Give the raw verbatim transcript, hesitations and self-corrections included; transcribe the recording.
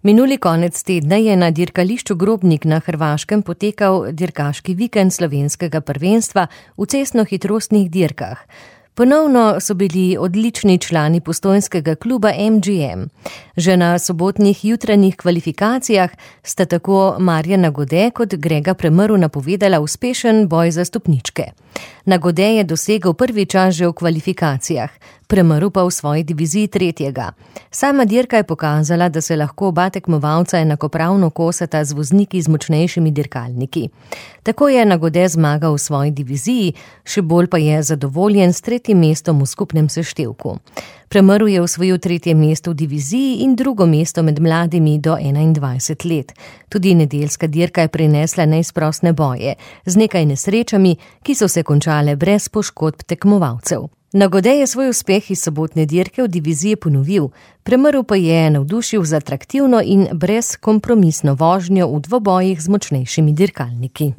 Minuli konec tedna je na dirkališču Grobnik na Hrvaškem potekal dirkaški vikend slovenskega prvenstva v cestnohitrostnih dirkah. Ponovno so bili odlični člani postojnskega kluba M G M. Že na sobotnih jutranjih kvalifikacijah sta tako Marjana Gode kot Grega Premrl napovedala uspešen boj za stopničke. Na Gode je dosegel prvi čas že v kvalifikacijah, Premrl pa v svoji diviziji tretjega. Sama dirka je pokazala, da se lahko oba tekmovalca enakopravno kosata z vozniki z močnejšimi dirkalniki. Tako je na Gode zmagal v svoji diviziji, še bolj pa je zadovoljen s tretjim mestom v skupnem seštevku. Premrl je osvojil tretje mesto v diviziji in drugo mesto med mladimi do enaindvajset let. Tudi nedeljska dirka je prinesla neizprosne boje, z nekaj nesrečami, ki so se končale brez poškodb tekmovalcev. Na Gode je svoj uspeh iz sobotne dirke v diviziji ponovil, Premrl pa je navdušil z atraktivno in brezkompromisno vožnjo v dvobojih z močnejšimi dirkalniki.